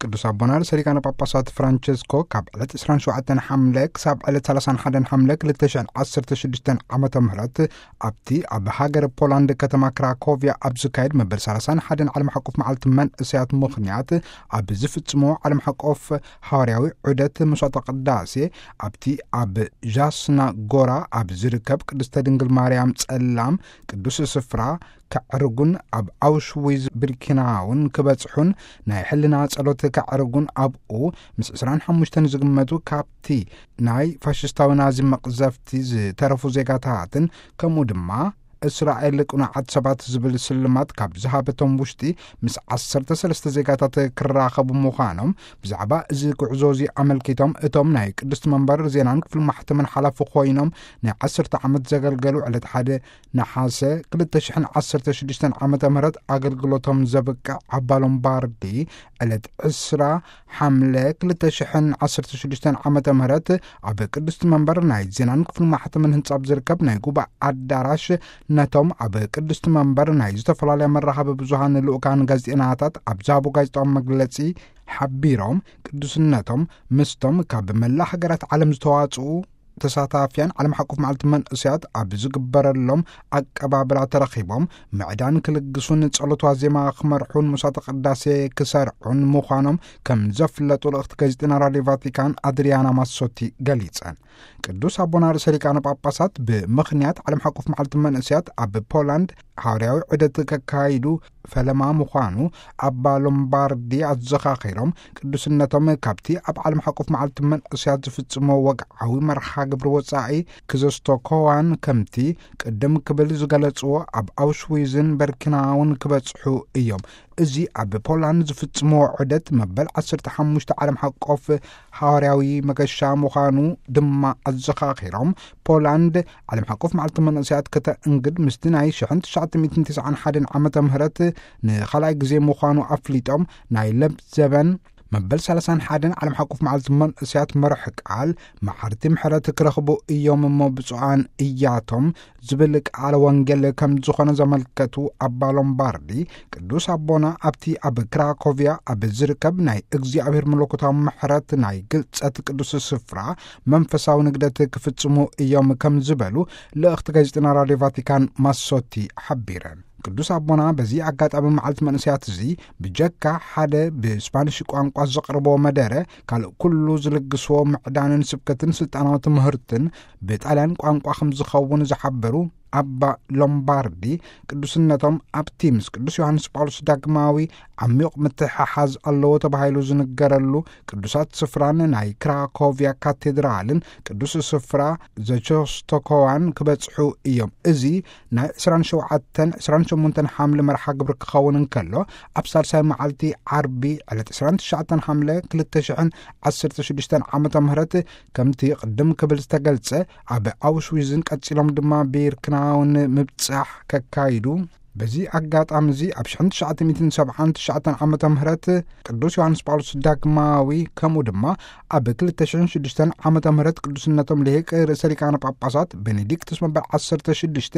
ቅዱስ ኣቦና ርእሰ ሊቃነ ጳጳሳት ፍራንቸስኮ ካብ ዕለት ዕስራን ሸውዓተን ሓምለ ክሳብ ዕለት ሰላሳን ሓደን ሓምለ ክልተ ሽሕን ዓሰርተ ሽዱሽተን ዓመተ ምህረት ኣብቲ ኣብ ሃገር ፖላንድ ከተማ ክራኮቪያ ኣብ ዝካየድ መበል ሰላሳን ሓደን ዓለም ሓቆፍ መዓልቲ መንእሰያት ምኽንያት ኣብ ዝፍጽሞ ዓለም ሓቆፍ ሃዋርያዊ ዑደት መስዋዕተ ቅዳሴ ኣብቲ ኣብ ዣስና ጎራ ኣብ ዝርከብ ቅድስተ ድንግል ማርያም ጸላም ቅዱስ ስፍራ ከዕርጉን ኣብ ኣውሽዊዝ ብርኪናውን ክበጽሑን ናይ ሕልና ጸሎት ከዕርጉን ኣብኡ ምስ ዕስራን ሓሙሽተን ዝግመቱ ካብቲ ናይ ፋሽስታዊ ናዚ መቕዘፍቲ ዝተረፉ ዜጋታትን ከምኡ ድማ እስራኤል ቅኑዓት ሰባት ዝብል ስልማት ካብ ዝሃበቶም ውሽጢ ምስ ዓሰርተ ሰለስተ ዜጋታት ክራኸቡ ምዃኖም ብዛዕባ እዚ ጉዕዞ እዚ ኣመልኪቶም እቶም ናይ ቅድስቲ መንበር ዜናን ክፍል ማሕተምን ሓላፊ ኮይኖም ናይ ዓሰርተ ዓመት ዘገልገሉ ዕለት ሓደ ነሓሰ ክልተ ሽሕን ዓሰርተ ሽዱሽተን ዓመተ ምህረት ኣገልግሎቶም ዘብቅዕ ኣባ ሎምባርዲ ዕለት ዕስራ ሓምለ ክልተ ሽሕን ዓሰርተ ሽዱሽተን ዓመተ ምህረት ኣብ ቅድስቲ መንበር ናይ ዜናን ክፍል ማሕተምን ህንጻ ኣብ ዝርከብ ናይ ጉባኤ ኣዳራሽ ነቶም ኣብ ቅድስቲ መንበር ናይ ዝተፈላለያ መራኸቢ ብዙሃን ልኡካን ጋዜጠናታት ኣብ ዝሃቦ ጋዜጣዊ መግለጺ ሓቢሮም ቅዱስነቶም ምስቶም ካብ መላ ሃገራት ዓለም ዝተዋጽኡ ተሳታፍያን ዓለም ሓቆፍ መዓልቲ መንእሰያት ኣብ ዝግበረሎም ኣቀባብላ ተረኺቦም ምዕዳን ክልግሱን ጸሎት ዋዜማ ክመርሑን መስዋዕተ ቅዳሴ ክሰርዑን ምዃኖም ከም ዘፍለጡ ልእኽቲ ጋዜጠና ራድዮ ቫቲካን ኣድሪያና ማሶቲ ገሊጸን። ቅዱስ ኣቦና ርእሰ ሊቃነ ጳጳሳት ብምኽንያት ዓለም ሓቆፍ መዓልቲ መንእሰያት ኣብ ፖላንድ ሃዋርያዊ ዑደት ከካይዱ ፈለማ ምዃኑ ኣባ ሎምባርዲ ኣዘኻኺሮም ቅዱስነቶም ካብቲ ኣብ ዓለም ሓቆፍ መዓልቲ መንእሰያት ዝፍጽሞ ወግዓዊ መርሓ ግብሪ ወጻኢ ክዘስቶኮዋን ከምቲ ቅድም ክብል ዝገለጽዎ ኣብ ኣውሽዊዝን በርኪናውን ክበጽሑ እዮም። እዚ ኣብ ፖላንድ ዝፍጽሞ ዑደት መበል ዓሰርተ ሓሙሽተ ዓለም ሓቆፍ ሃዋርያዊ መገሻ ምዃኑ ድማ ኣዘኻኺሮም ፖላንድ ዓለም ሓቆፍ መዓልቲ መንእሰያት ከተእንግድ ምስቲ ናይ ሽሕን ትሽዓተ ሚእትን ትስዓን ሓደን ዓመተ ምህረት ንኻልኣይ ግዜ ምዃኑ ኣፍሊጦም ናይ ለብ ዘበን መበል ሰላሳን ሓደን ዓለም ሓቆፍ መዓልቲ መንእሰያት መርሕ ቃል መዓርቲ ምሕረት ክረኽቡ እዮም እሞ ብፁዓን እያቶም ዝብል ቃለ ወንጌል ከም ዝኾነ ዘመልከቱ ኣባ ሎምባርዲ ቅዱስ ኣቦና ኣብቲ ኣብ ክራኮቪያ ኣብ ዝርከብ ናይ እግዚኣብሔር መለኮታዊ ምሕረት ናይ ግልጸት ቅዱስ ስፍራ መንፈሳዊ ንግደት ክፍጽሙ እዮም ከም ዝበሉ ልእኽቲ ጋዜጠና ራድዮ ቫቲካን ማሶቲ ሓቢረን። ቅዱስ ኣቦና በዚ ኣጋጣሚ መዓልቲ መንእሰያት እዚ ብጀካ ሓደ ብስፓኒሽ ቋንቋ ዘቕርቦ መደረ ካልእ ኩሉ ዝልግስዎ ምዕዳንን ስብከትን ስልጣናዊ ትምህርትን ብጣልያን ቋንቋ ከም ዝኸውን ዝሓበሩ ኣባ ሎምባርዲ ቅዱስነቶም ኣብቲ ምስ ቅዱስ ዮሃንስ ጳውሎስ ዳግማዊ ዓሚቕ ምትሕሓዝ ኣለዎ ተባሂሉ ዝንገረሉ ቅዱሳት ስፍራን ናይ ክራኮቪያ ካቴድራልን ቅዱስ ስፍራ ዘቸስቶኮዋን ክበጽሑ እዮም። እዚ ናይ ዕስራን ሸውዓተን ዕስራን ሸሞንተን ሓምለ መርሓ ግብሪ ክኸውን እንከሎ ኣብ ሳልሳይ መዓልቲ ዓርቢ ዕለት ዕስራን ትሽዓተን ሓምለ ክልተ ሽሕን ዓሰርተ ሽዱሽተን ዓመተ ምህረት ከምቲ ቅድም ክብል ዝተገልጸ ኣብ ኣውሽዊዝን ቀጺሎም ድማ ቢርክናውን ምብጻሕ ከካይዱ በዚ ኣጋጣሚ እዚ ኣብ ሽሕን ትሽዓተ ሚእትን ሰብዓን ትሽዓተን ዓመተ ምህረት ቅዱስ ዮሃንስ ጳውሎስ ዳግማዊ ከምኡ ድማ ኣብ ክልተ ሽሕን ሽዱሽተን ዓመተ ምህረት ቅዱስነቶም ልሂቅ ርእሰ ሊቃነ ጳጳሳት ቤኔዲክቱስ መበል ዓሰርተ ሽዱሽተ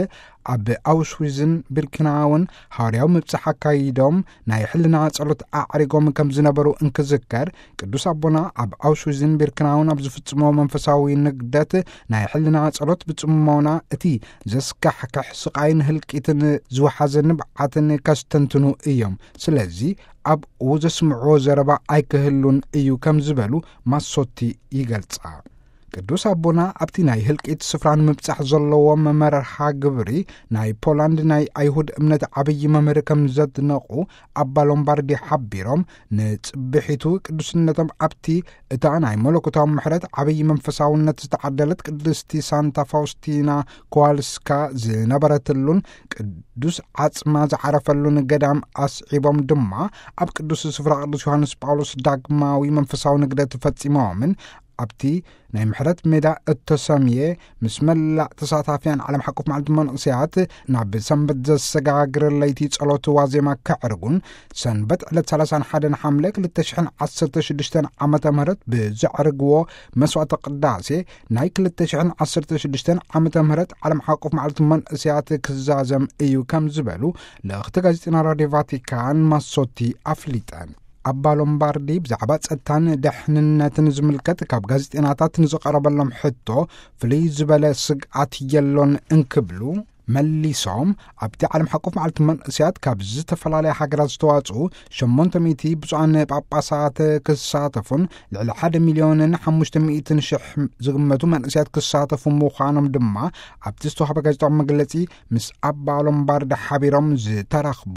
ኣብ ኣውሽዊዝን ቢርክናውን ሃዋርያዊ ምብጻሕ ኣካይዶም ናይ ሕልና ጸሎት ኣዕሪጎም ከም ዝነበሩ እንክዝከር ቅዱስ ኣቦና ኣብ ኣውሽዊዝን ቢርክናውን ኣብ ዝፍጽሞ መንፈሳዊ ንግደት ናይ ሕልና ጸሎት ብጽሞና እቲ ዘስካሕክሕ ስቓይን ህልቂትን ዝወሓዘ ንብዓትን ከስተንትኑ እዮም። ስለዚ ኣብኡ ዘስምዕዎ ዘረባ ኣይክህሉን እዩ ከም ዝበሉ ማሶቲ ይገልጻ። ቅዱስ ኣቦና ኣብቲ ናይ ህልቂት ስፍራ ንምብጻሕ ዘለዎም መመርሓ ግብሪ ናይ ፖላንድ ናይ ኣይሁድ እምነት ዓብዪ መምህር ከም ዘድነቑ ኣባ ሎምባርዲ ሓቢሮም ንጽብሒቱ ቅዱስነቶም ኣብቲ እታ ናይ መለኮታዊ ምሕረት ዓብዪ መንፈሳውነት ዝተዓደለት ቅድስቲ ሳንታ ፋውስቲና ኮዋልስካ ዝነበረትሉን ቅዱስ ዓጽማ ዝዓረፈሉን ገዳም ኣስዒቦም ድማ ኣብ ቅዱስ ስፍራ ቅዱስ ዮሃንስ ጳውሎስ ዳግማዊ መንፈሳዊ ንግደት ፈጺሞምን ኣብቲ ናይ ምሕረት ሜዳ እተሰምየ ምስ መላእ ተሳታፍያን ዓለም ሓቆፍ መዓልቲ መንእሰያት ናብ ሰንበት ዘሰጋግር ለይቲ ጸሎት ዋዜማ ከዕርጉን ሰንበት ዕለት ሰላሳን ሓደን ሓምለ ክልተ ሽሕን ዓሰርተ ሽዱሽተን ዓመተ ምህረት ብዘዕርግዎ መስዋዕተ ቅዳሴ ናይ ክልተ ሽሕን ዓሰርተ ሽዱሽተን ዓመተ ምህረት ዓለም ሓቆፍ መዓልቲ መንእሰያት ክዛዘም እዩ ከም ዝበሉ ልእኽቲ ጋዜጠና ራድዮ ቫቲካን ማሶቲ ኣፍሊጠን። ኣባ ሎምባርዲ ብዛዕባ ጸጥታን ደሕንነትን ዝምልከት ካብ ጋዜጠናታት ንዝቐረበሎም ሕቶ ፍልይ ዝበለ ስግኣት የሎን እንክብሉ መሊሶም፣ ኣብቲ ዓለም ሓቆፍ መዓልቲ መንእስያት ካብ ዝተፈላለያ ሃገራት ዝተዋጽኡ ሸሞንተ ሚእቲ ብፁዓን ጳጳሳት ክሳተፉን ልዕሊ ሓደ ሚልዮንን ሓሙሽተ ሚእትን ሽሕ ዝግመቱ መንእስያት ክሳተፉ ምዃኖም ድማ ኣብቲ ዝተዋህበ ጋዜጣዊ መግለጺ ምስ ኣባ ሎምባርዲ ሓቢሮም ዝተረኽቡ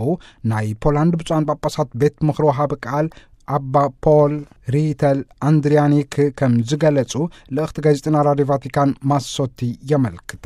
ናይ ፖላንድ ብፁዓን ጳጳሳት ቤት ምኽሪ ወሃቢ ቃል ኣባ ፖል ሪተል ኣንድሪያኒክ ከም ዝገለጹ ልእኽቲ ጋዜጠና ራድዮ ቫቲካን ማሶቲ የመልክታ።